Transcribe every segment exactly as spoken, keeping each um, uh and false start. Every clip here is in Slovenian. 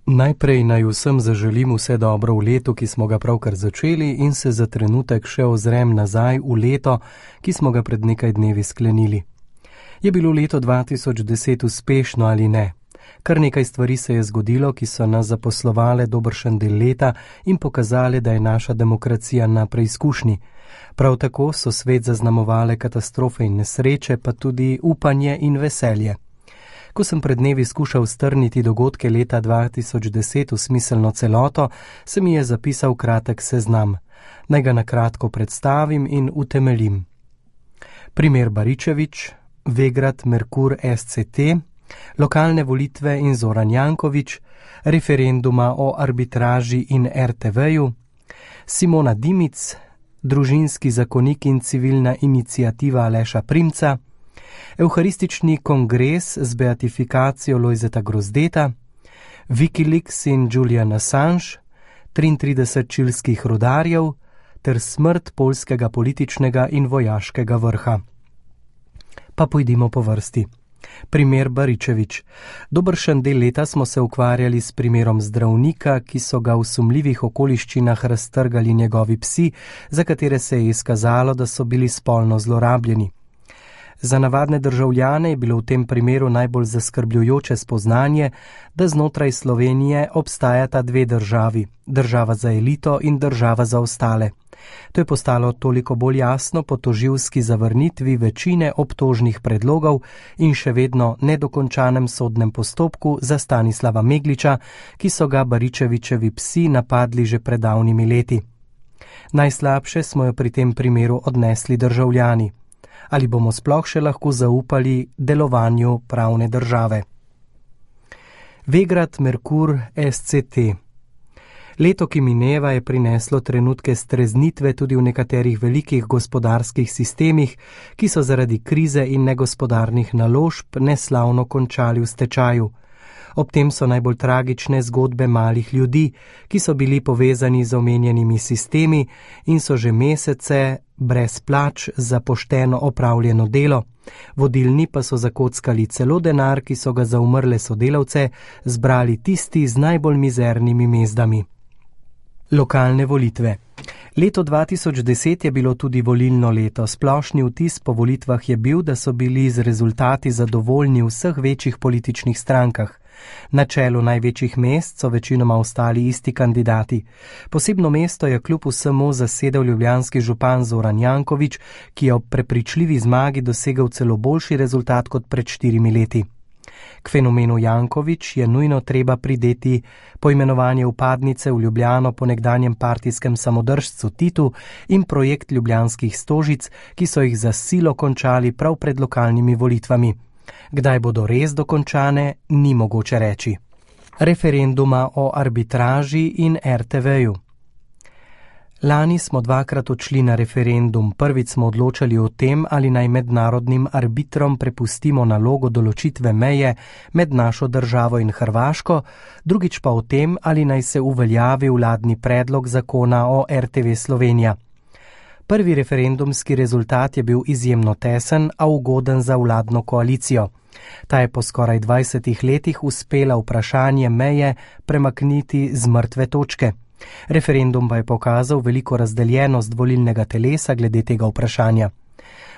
Najprej naj vsem zaželim vse dobro v letu, ki smo ga pravkar začeli, in se za trenutek še ozrem nazaj v leto, ki smo ga pred nekaj dnevi sklenili. Je bilo leto dva tisoč deset uspešno ali ne? Kar nekaj stvari se je zgodilo, ki so nas zaposlovale dobršen del leta in pokazale, da je naša demokracija na preizkušnji. Prav tako so svet zaznamovale katastrofe in nesreče, pa tudi upanje in veselje. Ko sem pred dnevi skušal strniti dogodke leta dva tisoč deset v smiselno celoto, se mi je zapisal kratek seznam. Naj ga na kratko predstavim in utemeljim. Primer Baričevič, Vegrad Merkur S C T, lokalne volitve in Zoran Janković, referenduma o arbitraži in R T V-ju, Simona Dimic, družinski zakonik in civilna iniciativa Aleša Primca, Evharistični kongres z beatifikacijo Lojzeta Grozdeta, Wikileaks in Julian Assange, triintrideset čilskih rudarjev ter smrt poljskega političnega in vojaškega vrha. Pa pojdimo po vrsti. Primer Baričevič. Dobršen del leta smo se ukvarjali s primerom zdravnika, ki so ga v sumljivih okoliščinah raztrgali njegovi psi, za katere se je izkazalo, da so bili spolno zlorabljeni. Za navadne državljane je bilo v tem primeru najbolj zaskrbljujoče spoznanje, da znotraj Slovenije obstajata dve državi, država za elito in država za ostale. To je postalo toliko bolj jasno po tožilski zavrnitvi večine obtožnih predlogov in še vedno nedokončanem sodnem postopku za Stanislava Megliča, ki so ga Baričevičevi psi napadli že pred davnimi leti. Najslabše smo jo pri tem primeru odnesli državljani. Ali bomo sploh še lahko zaupali delovanju pravne države? Vegrad Merkur S C T. Leto, ki mineva, je prineslo trenutke streznitve tudi v nekaterih velikih gospodarskih sistemih, ki so zaradi krize in negospodarnih naložb neslavno končali v stečaju. Ob tem so najbolj tragične zgodbe malih ljudi, ki so bili povezani z omenjenimi sistemi in so že mesece brez plač za pošteno opravljeno delo. Vodilni pa so zakockali celo denar, ki so ga za umrle sodelavce zbrali tisti z najbolj mizernimi mezdami. Lokalne volitve. Leto dva tisoč deset je bilo tudi volilno leto. Splošni vtis po volitvah je bil, da so bili z rezultati zadovoljni v vseh večjih političnih strankah. Na čelu največjih mest so večinoma ostali isti kandidati. Posebno mesto je kljub vsemu zasedel ljubljanski župan Zoran Janković, ki je ob prepričljivi zmagi dosegel celo boljši rezultat kot pred štirimi leti. K fenomenu Janković je nujno treba prideti poimenovanje vpadnice v Ljubljano po nekdanjem partijskem samodržcu Titu in projekt ljubljanskih stožic, ki so jih za silo končali prav pred lokalnimi volitvami. Kdaj bodo res dokončane, ni mogoče reči. Referenduma o arbitraži in R T V-ju. Lani smo dvakrat odšli na referendum. Prvič smo odločali o tem, ali naj mednarodnim arbitrom prepustimo nalogo določitve meje med našo državo in Hrvaško, drugič pa o tem, ali naj se uveljavi vladni predlog zakona o R T V Slovenija. Prvi referendumski rezultat je bil izjemno tesen, a ugoden za vladno koalicijo. Ta je po skoraj dvajsetih letih uspela vprašanje meje premakniti z mrtve točke. Referendum pa je pokazal veliko razdeljenost volilnega telesa glede tega vprašanja.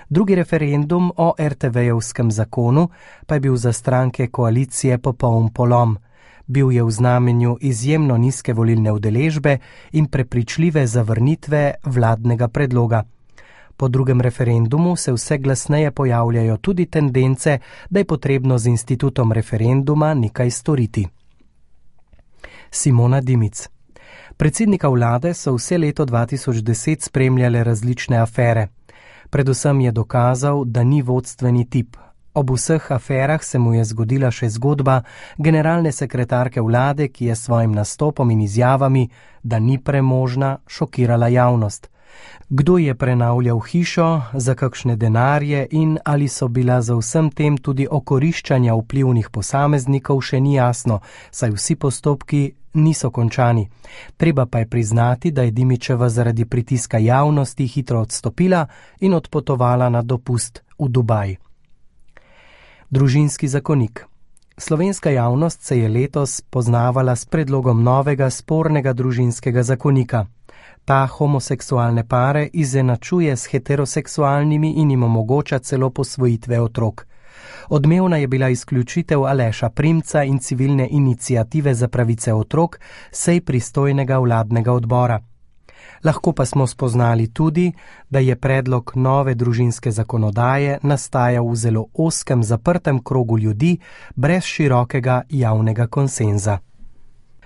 Drugi referendum o R T V-jevskem zakonu pa je bil za stranke koalicije popoln polom. Bil je v znamenju izjemno nizke volilne udeležbe in prepričljive zavrnitve vladnega predloga. Po drugem referendumu se vse glasneje pojavljajo tudi tendence, da je potrebno z institutom referenduma nekaj storiti. Simona Dimic. Predsednika vlade so vse leto dva tisoč deset spremljale različne afere. Predvsem je dokazal, da ni vodstveni tip. Ob vseh aferah se mu je zgodila še zgodba generalne sekretarke vlade, ki je s svojim nastopom in izjavami, da ni premožna, šokirala javnost. Kdo je prenavljal hišo, za kakšne denarje in ali so bila za vsem tem tudi okoriščanja vplivnih posameznikov, še ni jasno, saj vsi postopki niso končani. Treba pa je priznati, da je Dimičeva zaradi pritiska javnosti hitro odstopila in odpotovala na dopust v Dubaj. Družinski zakonik. Slovenska javnost se je letos poznavala s predlogom novega spornega družinskega zakonika. Ta homoseksualne pare izenačuje s heteroseksualnimi in jim omogoča celo posvojitve otrok. Odmevna je bila izključitev Aleša Primca in civilne iniciative za pravice otrok sej pristojnega vladnega odbora. Lahko pa smo spoznali tudi, da je predlog nove družinske zakonodaje nastajal v zelo ozkem zaprtem krogu ljudi brez širokega javnega konsenza.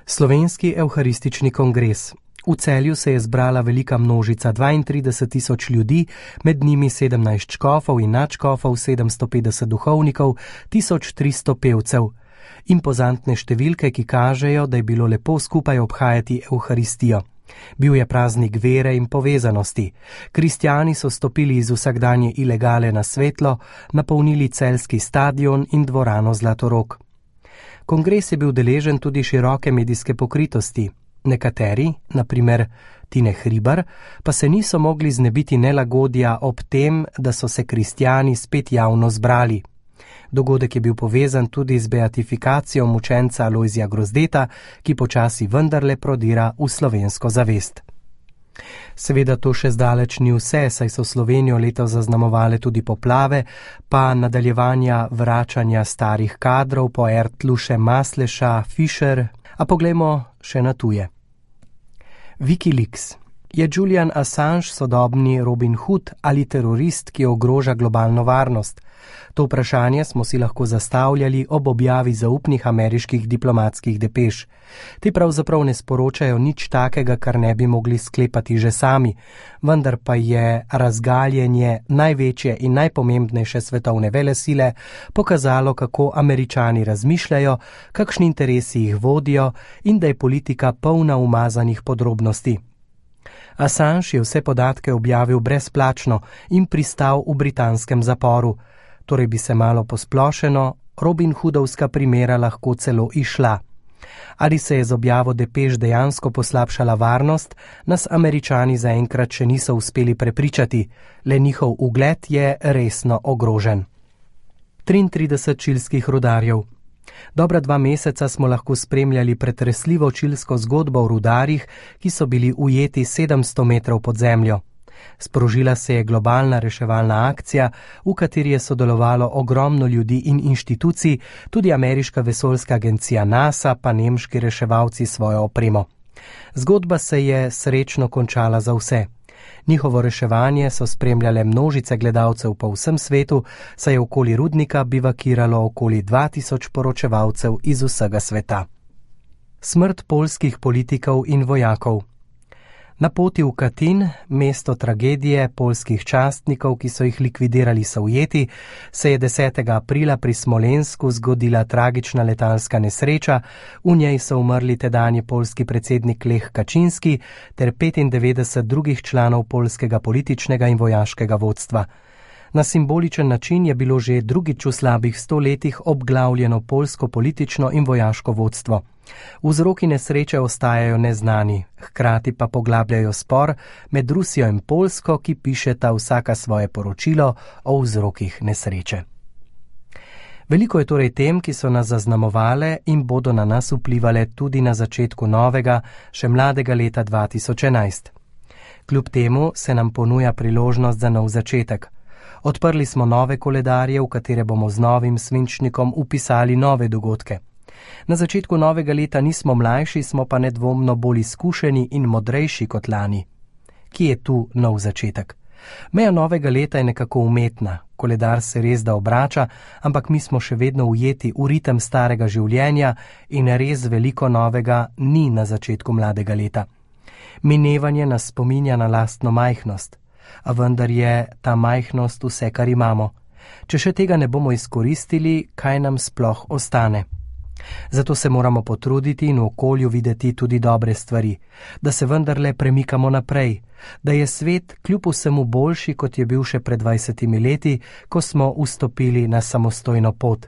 Slovenski evharistični kongres. V Celju se je zbrala velika množica dvaintrideset tisoč ljudi, med njimi sedemnajst škofov in nadškofov, sedemsto petdeset duhovnikov, tisoč tristo pevcev. Impozantne številke, ki kažejo, da je bilo lepo skupaj obhajati evharistijo. Bil je praznik vere in povezanosti. Kristjani so stopili iz vsakdanje ilegale na svetlo, napolnili celjski stadion in dvorano Zlatorog. Kongres je bil deležen tudi široke medijske pokritosti. Nekateri, na primer Tine Hribar, pa se niso mogli znebiti nelagodja ob tem, da so se kristjani spet javno zbrali. Dogodek je bil povezan tudi z beatifikacijo mučenca Alojzija Grozdeta, ki počasi vendarle prodira v slovensko zavest. Seveda to še zdaleč ni vse, saj so Slovenijo letos zaznamovale tudi poplave, pa nadaljevanja vračanja starih kadrov po Ertluše, Masleša, Fischer, a poglejmo še na tuje. Wikileaks. Je Julian Assange sodobni Robin Hood ali terorist, ki ogroža globalno varnost? To vprašanje smo si lahko zastavljali ob objavi zaupnih ameriških diplomatskih depeš. Te pravzaprav ne sporočajo nič takega, kar ne bi mogli sklepati že sami, vendar pa je razgaljenje največje in najpomembnejše svetovne velesile pokazalo, kako Američani razmišljajo, kakšni interesi jih vodijo in da je politika polna umazanih podrobnosti. Assange je vse podatke objavil brezplačno in pristal v britanskem zaporu. Torej bi se malo posplošeno Robin Hoodovska primera lahko celo išla. Ali se je z objavo depeš dejansko poslabšala varnost, nas Američani zaenkrat še niso uspeli prepričati, le njihov ugled je resno ogrožen. triintrideset čilskih rudarjev. Dobra dva meseca smo lahko spremljali pretresljivo čilsko zgodbo o rudarjih, ki so bili ujeti sedemsto metrov pod zemljo. Sprožila se je globalna reševalna akcija, v kateri je sodelovalo ogromno ljudi in inštitucij, tudi ameriška vesoljska agencija NASA, pa nemški reševalci svojo opremo. Zgodba se je srečno končala za vse. Njihovo reševanje so spremljale množice gledalcev po vsem svetu, saj je okoli rudnika bivakiralo okoli dva tisoč poročevalcev iz vsega sveta. Smrt poljskih politikov in vojakov. Na poti v Katin, mesto tragedije poljskih častnikov, ki so jih likvidirali Sovjeti, se je desetega aprila pri Smolensku zgodila tragična letalska nesreča, v njej so umrli tedanji poljski predsednik Lech Kačinski ter petindevetdeset drugih članov poljskega političnega in vojaškega vodstva. Na simboličen način je bilo že drugič v slabih sto letih obglavljeno poljsko politično in vojaško vodstvo. Vzroki nesreče ostajajo neznani, hkrati pa poglabljajo spor med Rusijo in Poljsko, ki pišeta vsaka svoje poročilo o vzrokih nesreče. Veliko je torej tem, ki so nas zaznamovale in bodo na nas vplivale tudi na začetku novega, še mladega leta dva tisoč enajst. Kljub temu se nam ponuja priložnost za nov začetek. Odprli smo nove koledarje, v katere bomo z novim svinčnikom upisali nove dogodke. Na začetku novega leta nismo mlajši, smo pa nedvomno bolj izkušeni in modrejši kot lani. Kje je tu nov začetek? Meja novega leta je nekako umetna, koledar se res da obrača, ampak mi smo še vedno ujeti v ritem starega življenja in res veliko novega ni na začetku mladega leta. Minevanje nas spominja na lastno majhnost, a vendar je ta majhnost vse, kar imamo. Če še tega ne bomo izkoristili, kaj nam sploh ostane? Zato se moramo potruditi in v okolju videti tudi dobre stvari, da se vendarle premikamo naprej, da je svet kljub vsemu boljši, kot je bil še pred dvajsetimi leti, ko smo vstopili na samostojno pot.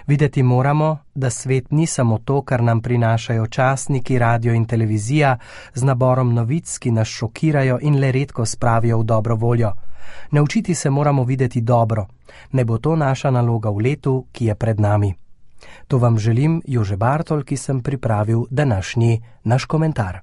Videti moramo, da svet ni samo to, kar nam prinašajo časniki, radio in televizija z naborom novic, ki nas šokirajo in le redko spravijo v dobro voljo. Naučiti se moramo videti dobro, ne bo to naša naloga v letu, ki je pred nami. To vam želim Jože Bartol, ki sem pripravil današnji naš komentar.